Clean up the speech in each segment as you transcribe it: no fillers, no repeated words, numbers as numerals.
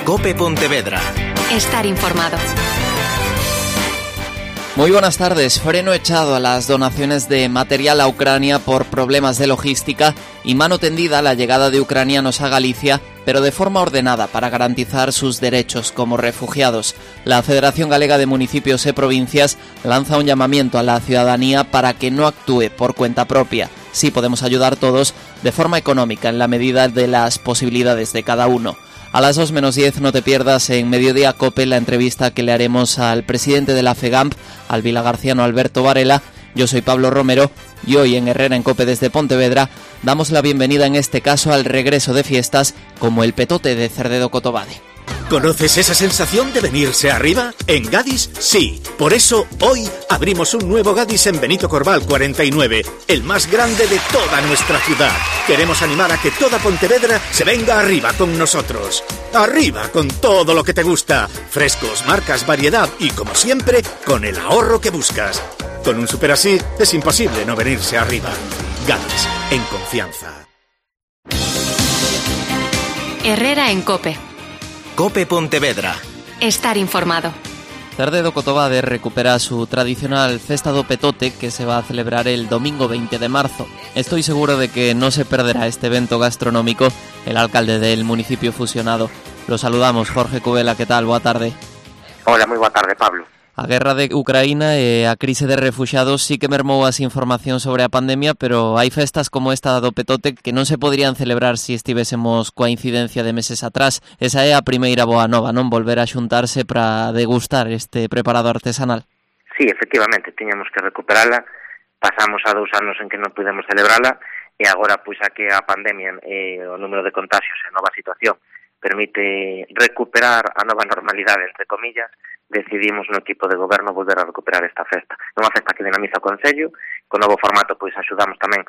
COPE Pontevedra. Estar informado. Muy buenas tardes. Freno echado a las donaciones de material a Ucrania por problemas de logística y mano tendida a la llegada de ucranianos a Galicia, pero de forma ordenada para garantizar sus derechos como refugiados. La Federación Galega de Municipios e Provincias lanza un llamamiento a la ciudadanía para que no actúe por cuenta propia. Sí podemos ayudar todos de forma económica en la medida de las posibilidades de cada uno. A las 2:10 no te pierdas en Mediodía Cope la entrevista que le haremos al presidente de la FEGAMP, al vilagarciano Alberto Varela. Yo soy Pablo Romero y hoy en Herrera en Cope desde Pontevedra damos la bienvenida en este caso al regreso de fiestas como el Petote de Cerdedo Cotobade. ¿Conoces esa sensación de venirse arriba? En Gadis, sí. Por eso, hoy abrimos un nuevo Gadis en Benito Corval 49, el más grande de toda nuestra ciudad. Queremos animar a que toda Pontevedra se venga arriba con nosotros. ¡Arriba con todo lo que te gusta! Frescos, marcas, variedad y, como siempre, con el ahorro que buscas. Con un super así, es imposible no venirse arriba. Gadis, en confianza. Herrera en Cope. COPE Pontevedra. Estar informado. Cerdedo Cotobade recupera su tradicional Festa do Petote que se va a celebrar el domingo 20 de marzo. Estoy seguro de que no se perderá este evento gastronómico el alcalde del municipio fusionado. Lo saludamos, Jorge Cubela, ¿qué tal? Boa tarde. Hola, moi boa tarde, Pablo. A guerra de Ucraína e a crise de refuxiados sí que mermou as información sobre a pandemia, pero hai festas como esta do Petote que non se poderían celebrar se estivésemos coa incidencia de meses atrás. Esa é a primeira boa nova, non? Volver a xuntarse para degustar este preparado artesanal. Sí, efectivamente, tiñamos que recuperala. Pasamos a 2 anos en que non pudemos celebrala e agora, pois, a que a pandemia e o número de contagios e a nova situación permite recuperar a nova normalidade, entre comillas, decidimos no equipo de goberno volver a recuperar esta festa. É unha festa que dinamiza o Concello, con novo formato pois axudamos tamén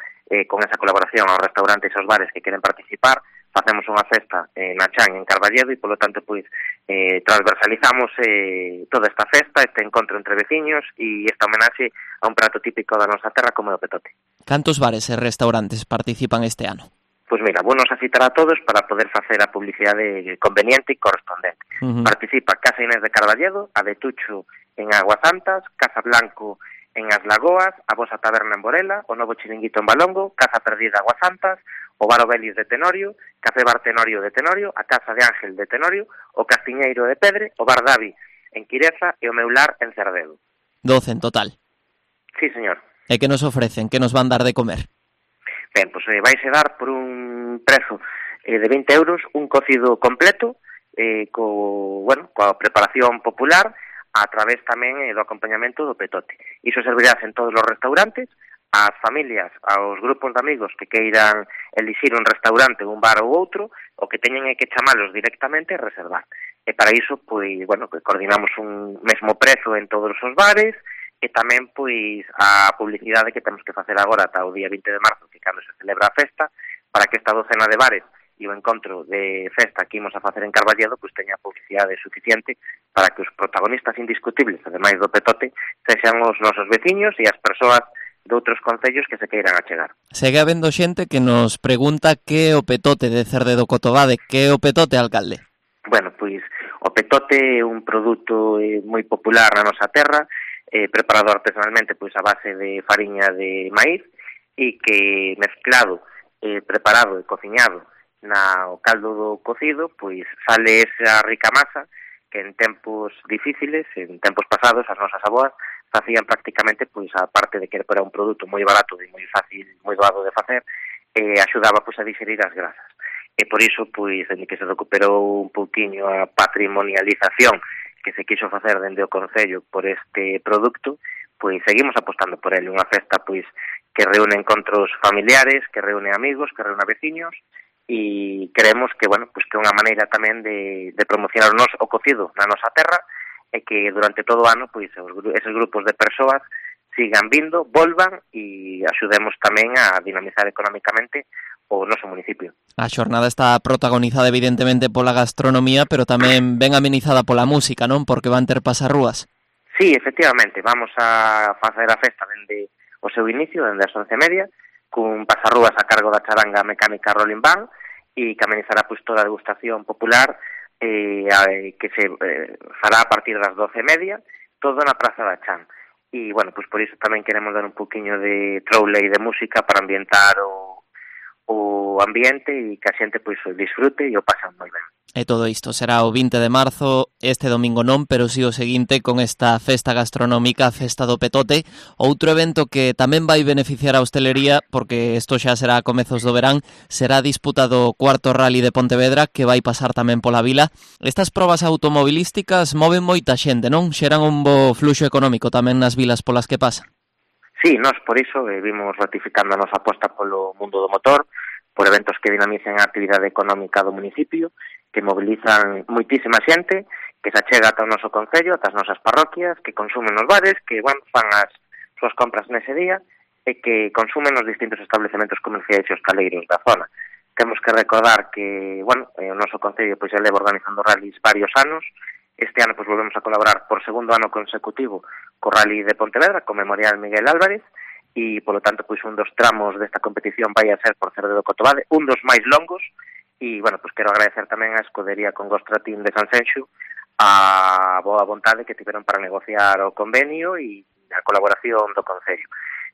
con esa colaboración aos restaurantes e aos bares que queren participar, facemos unha festa na Chan en Carballedo e polo tanto pois transversalizamos toda esta festa, este encontro entre veciños e esta homenaxe a un prato típico da nosa terra como é o Petote. Cantos bares e restaurantes participan este ano? Pois mira, vou nos a citar a todos para poder facer a publicidade conveniente e correspondente. Participa Casa Inés de Carballedo, a de Tucho en Aguas Santas, Casa Blanco en As Lagoas, a Vosa Taberna en Borela, o Novo Chiringuito en Balongo, Casa Perdida Aguas Santas, o Bar Obelis de Tenorio, Café Bar Tenorio de Tenorio, a Casa de Ángel de Tenorio, o Castiñeiro de Pedre, o Bar Davi en Quireza e o Meular en Cerdedo. 12 en total. Sí, señor. E que nos ofrecen? Que nos van dar de comer? Ben, pois vaise dar por un prezo de 20 euros un cocido completo coa preparación popular a través tamén do acompañamento do Petote. Iso servirás en todos os restaurantes, ás familias, aos grupos de amigos que queiran elixir un restaurante, un bar ou outro, o que teñen é que chamalos directamente e reservar. E para iso, pois, que coordinamos un mesmo prezo en todos os bares, e tamén, pois, a publicidade que temos que facer agora ata o día 20 de marzo, que cando se celebra a festa, para que esta docena de bares e o encontro de festa que imos a facer en Carballedo, pois teña publicidade suficiente para que os protagonistas indiscutibles, ademais do Petote, sexan os nosos veciños e as persoas de outros concellos que se queiran achegar. Segue habendo xente que nos pregunta que é o Petote de Cerdedo Cotobade, que é o Petote, alcalde? Bueno, pois, o Petote é un produto moi popular na nosa terra, preparado artesanalmente pois a base de fariña de maíz e que mezclado, preparado e cociñado o caldo do cocido, pois sale esa rica masa que en tempos difíciles, en tempos pasados, as nosas avoas facían prácticamente, pois a parte de que era un produto moi barato e moi fácil, moi doado de facer, axudaba pois a digerir as grasas. E por iso, pois, en que se recuperou un pouquiño a patrimonialización que se quiso facer dende o Concello por este produto, pois seguimos apostando por ele, unha festa pois que reúne encontros familiares, que reúne amigos, que reúne veciños e creemos que, pois que é unha maneira tamén de promocionar o cocido na nosa terra e que durante todo o ano pois esos grupos de persoas sigan vindo, volvan e axudemos tamén a dinamizar económicamente o noso municipio. A xornada está protagonizada evidentemente pola gastronomía, pero tamén ben amenizada pola música, non? Porque van ter pasarrúas. Sí, efectivamente, vamos a facer a festa dende o seu inicio, dende as 11:30, cun pasarrúas a cargo da charanga mecánica Rolling Band, e que amenizará pois toda a degustación popular que se fará a partir das 12:30, todo na Praza da Chan. E, bueno, pois por iso tamén queremos dar un poquinho de troule e de música para ambientar o ambiente e que a xente pois o disfrute e o pasan moi ben. E todo isto será o 20 de marzo, este domingo non, pero si o seguinte con esta festa gastronómica, Festa do Petote, outro evento que tamén vai beneficiar a hostelería, porque isto xa será a comezos do verán, será disputado o cuarto Rally de Pontevedra, que vai pasar tamén pola vila. Estas probas automobilísticas moven moita xente, non? Xeran un bo fluxo económico tamén nas vilas polas que pasan. Sí, nós por iso vimos ratificando a nosa aposta polo mundo do motor, por eventos que dinamicen a actividade económica do municipio, que mobilizan moitísima xente, que se achega ata o noso concello, ata as nosas parroquias, que consumen nos bares, que fan as súas compras nese día e que consumen nos distintos establecementos comerciais e hostaleiros da zona. Temos que recordar que, o noso concello pois leva organizando rallies varios anos. Este ano pois volvemos a colaborar por segundo ano consecutivo co Rally de Pontevedra, co Memorial Miguel Álvarez, e, polo tanto, pois un dos tramos desta competición vai a ser por Cerdedo Cotobade, un dos máis longos. E, pois quero agradecer tamén a escudería Congostra Team de Sanxenxo a boa vontade que tiveron para negociar o convenio e a colaboración do Concello.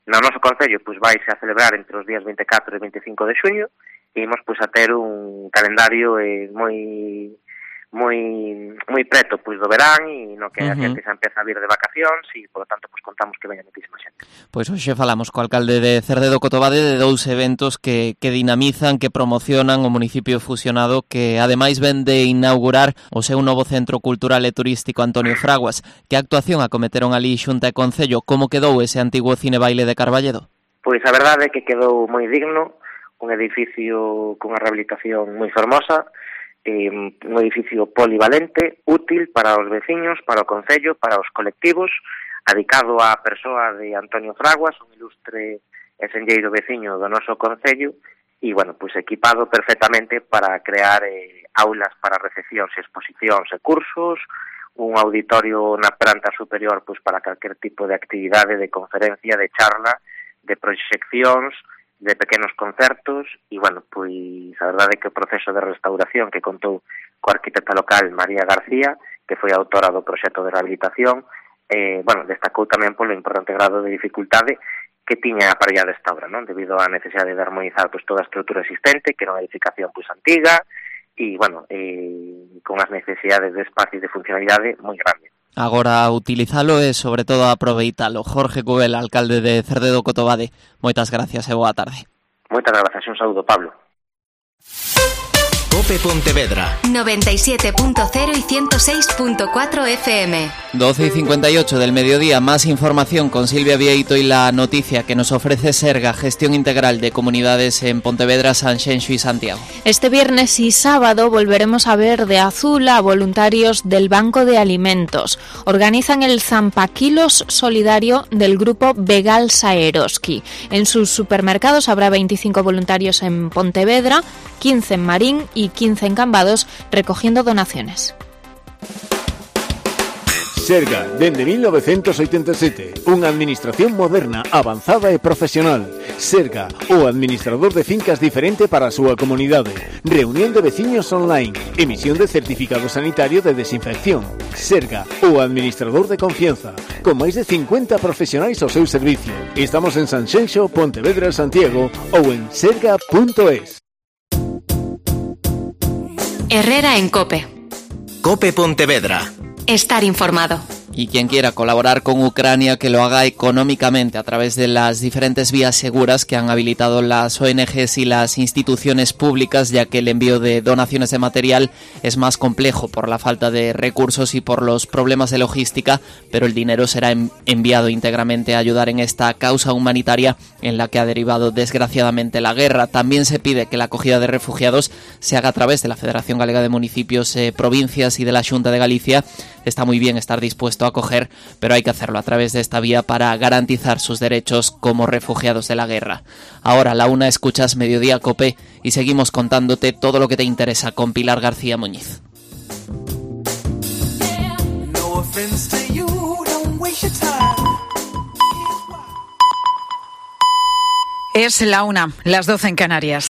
No noso Concello, pois vaise a celebrar entre os días 24 e 25 de xuño e imos pois a ter un calendario moi preto pois do verán e no que a xente se empeza a vir de vacacións e, polo tanto, pois contamos que veña moitísima xente. Pois hoxe falamos co alcalde de Cerdedo Cotobade de dous eventos que dinamizan, que promocionan o municipio fusionado, que ademais ven de inaugurar o seu novo centro cultural e turístico Antonio Fraguas. Que actuación acometeron ali Xunta e Concello? Como quedou ese antigo cine baile de Carballedo? Pois a verdade é que quedou moi digno, un edificio cunha rehabilitación moi fermosa, un edificio polivalente, útil para os veciños, para o concello, para os colectivos, adicado á persoa de Antonio Fraguas, un ilustre e senlleiro veciño do noso concello, e, pois equipado perfectamente para crear aulas para recepcións e exposicións e cursos, un auditorio na planta superior pois para calquer tipo de actividade, de conferencia, de charla, de proxeccións, de pequenos concertos e, pois a verdade é que o proceso de restauración que contou coa arquitecta local María García, que foi a autora do proxecto de rehabilitación, destacou tamén polo importante grado de dificultade que tiña a parella desta obra, non? Debido á necesidade de armonizar pois toda a estrutura existente, que era unha edificación pois antiga e, con as necesidades de espacio e de funcionalidade moi grande. Agora a utilizalo e, sobre todo, a aproveitalo. Jorge Cubel, alcalde de Cerdedo Cotobade, moitas gracias e boa tarde. Moitas gracias, un saúdo, Pablo. COPE Pontevedra 97.0 y 106.4 FM. 12:58 del mediodía. Más información con Silvia Vieito y la noticia que nos ofrece Serga, gestión integral de comunidades en Pontevedra, Sanxenxo y Santiago. Este viernes y sábado volveremos a ver de azul a voluntarios del Banco de Alimentos. Organizan el Zampaquilos solidario del grupo Vegal Saeroski. En sus supermercados habrá 25 voluntarios en Pontevedra, 15 en Marín y 15 en Cambados, recogiendo donaciones. Serga, dende 1987, unha administración moderna, avanzada e profesional. Serga, o administrador de fincas diferente para a súa comunidade. Reunión de veciños online, emisión de certificado sanitario de desinfección. Serga, o administrador de confianza, con máis de 50 profesionais ao seu servicio. Estamos en Sanxenxo, Pontevedra, Santiago ou en serga.es. Herrera en COPE. COPE Pontevedra. Estar informado. Y quien quiera colaborar con Ucrania, que lo haga económicamente a través de las diferentes vías seguras que han habilitado las ONGs y las instituciones públicas, ya que el envío de donaciones de material es más complejo por la falta de recursos y por los problemas de logística, pero el dinero será enviado íntegramente a ayudar en esta causa humanitaria en la que ha derivado desgraciadamente la guerra. También se pide que la acogida de refugiados se haga a través de la Federación Galega de Municipios, Provincias y de la Xunta de Galicia. Está muy bien estar dispuesto a acoger, pero hay que hacerlo a través de esta vía para garantizar sus derechos como refugiados de la guerra. Ahora, la una, escuchas Mediodía COPE y seguimos contándote todo lo que te interesa con Pilar García Muñiz. Es la una, las 12 en Canarias.